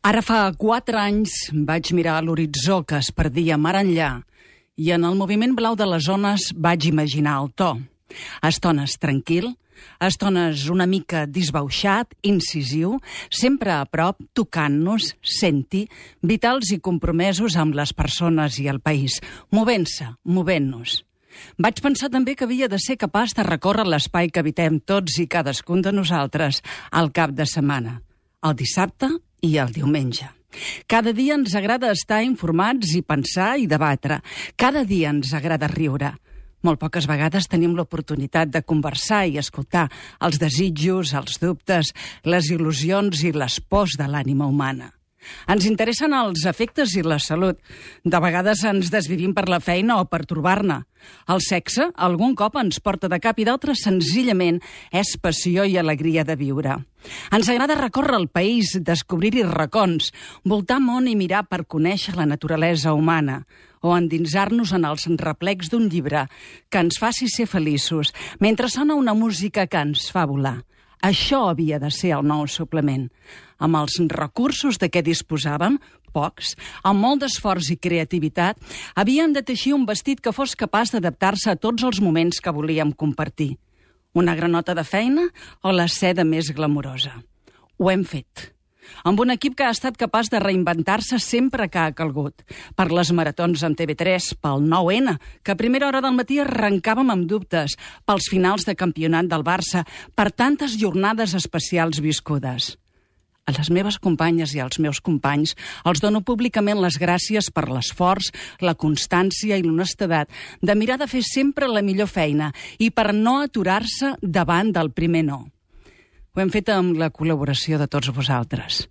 Ara fa 4 anys vaig mirar a l'horitzó que es perdia mar enllà i en el moviment blau de les ones vaig imaginar el to. A estones tranquil, a estones una mica disbauxat, incisiu, sempre a prop, tocant-nos, senti, vitals i compromesos amb les persones i el país, movent-se, movent-nos. Vaig pensar també que havia de ser capaç de recórrer l'espai que habitem tots i cadascun de nosaltres al cap de setmana, el dissabte i el diumenge. Cada dia ens agrada estar informats i pensar i debatre. Cada dia ens agrada riure. Molt poques vegades tenim l'oportunitat de conversar i escoltar els desitjos, els dubtes, les il·lusions i les pors de l'ànima humana. Ens interessen els afectes i la salut. De vegades ens desvivim per la feina o per trobar-ne. El sexe algun cop ens porta de cap i d'altres senzillament és passió i alegria de viure. Ens agrada recórrer el país, descobrir-hi racons, voltar món i mirar per conèixer la naturalesa humana o endinsar-nos en els replecs d'un llibre que ens faci ser feliços mentre sona una música que ens fa volar. Això havia de ser el nou suplement. Amb els recursos de què disposàvem, pocs, amb molt d'esforç i creativitat, havíem de teixir un vestit que fos capaç d'adaptar-se a tots els moments que volíem compartir. Una granota de feina o la seda més glamurosa. Ho hem fet. Amb un equip que ha estat capaç de reinventar-se sempre que ha calgut. Per les maratons amb TV3, pel 9N, que a primera hora del matí arrencàvem amb dubtes, pels finals de campionat del Barça, per tantes jornades especials viscudes. A les meves companyes i als meus companys els dono públicament les gràcies per l'esforç, la constància i l'honestedat de mirar de fer sempre la millor feina i per no aturar-se davant del primer no. Ho hem fet amb la col·laboració de tots vosaltres.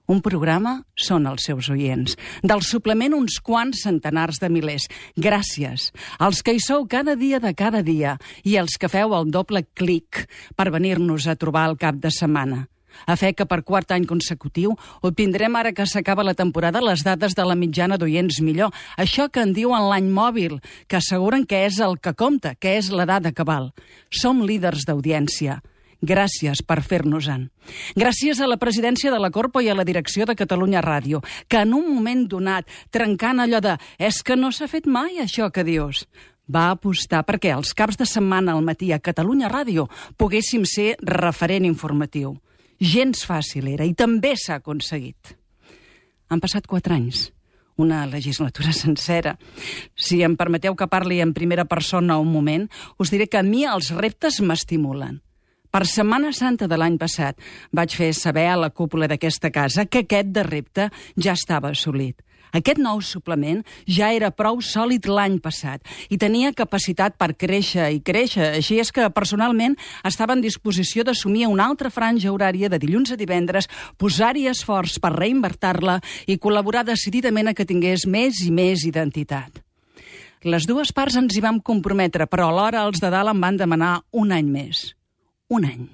Un programa són els seus oients. Del suplement uns quants centenars de milers. Gràcies als que hi sou cada dia de cada dia i als que feu el doble clic per venir-nos a trobar al cap de setmana. A fe que per 4 any consecutiu obtindrem ara que s'acaba la temporada les dades de la mitjana d'oients millor. Això que en diuen l'any mòbil, que asseguren que és el que compta, que és la dada cabal. Som líders d'audiència. Gràcies per fer-nos-en. Gràcies a la presidència de la Corpo i a la direcció de Catalunya Ràdio, que en un moment donat, trencant allò de «és que no s'ha fet mai això que dius», va apostar perquè els caps de setmana al matí a Catalunya Ràdio poguéssim ser referent informatiu. Gens fàcil era i també s'ha aconseguit. Han passat 4 anys, una legislatura sencera. Si em permeteu que parli en primera persona un moment, us diré que a mi els reptes m'estimulen. Per Setmana Santa de l'any passat vaig fer saber a la cúpula d'aquesta casa que aquest de repte ja estava assolit. Aquest nou suplement ja era prou sòlid l'any passat i tenia capacitat per créixer i créixer. Així és que personalment estava en disposició d'assumir una altra franja horària de dilluns a divendres, posar-hi esforç per reinvertir-la i col·laborar decididament a que tingués més i més identitat. Les dues parts ens hi vam comprometre, però alhora els de dalt em van demanar un any més. Un any.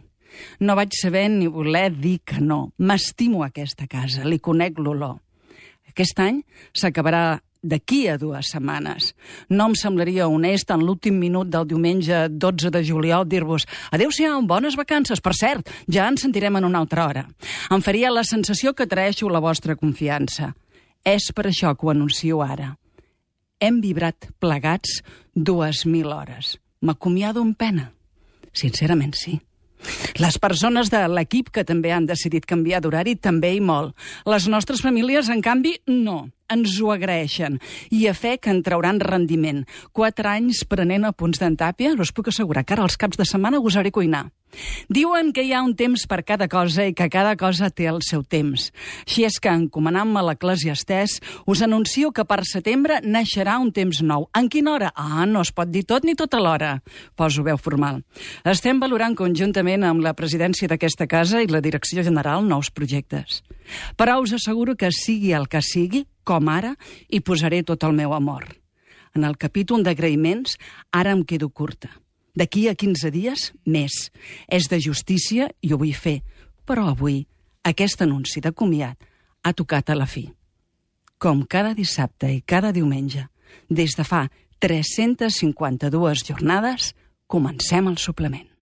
No vaig saber ni voler dir que no. M'estimo aquesta casa, li conec l'olor. Aquest any s'acabarà d'aquí a 2 setmanes. No em semblaria honest en l'últim minut del diumenge 12 de juliol dir-vos adéu-siau, bones vacances. Per cert, ja ens sentirem en una altra hora. Em faria la sensació que traeixo la vostra confiança. És per això que ho anuncio ara. Hem vibrat plegats 2.000 hores. M'acomiado amb pena. Sincerament, sí. Les persones de l'equip que també han decidit canviar d'horari també i molt. Les nostres famílies, en canvi, no. Ens ho agraeixen. I a fe que en trauran rendiment. 4 anys prenent apunts d'en Tàpia, us puc assegurar que ara els caps de setmana gosaré cuinar. Diuen que hi ha un temps per cada cosa i que cada cosa té el seu temps. Així és que, encomanant-me l'Eclesiastès, us anuncio que per setembre naixerà un temps nou. En quina hora? No es pot dir tot ni tot alhora. Poso veu formal. Estem valorant conjuntament amb la presidència d'aquesta casa i la direcció general nous projectes. Però us asseguro que sigui el que sigui, com ara, hi posaré tot el meu amor. En el capítol d'agraïments, ara em quedo curta. D'aquí a 15 dies, més. És de justícia i ho vull fer. Però avui, aquest anunci de comiat ha tocat a la fi. Com cada dissabte i cada diumenge, des de fa 352 jornades, comencem el suplement.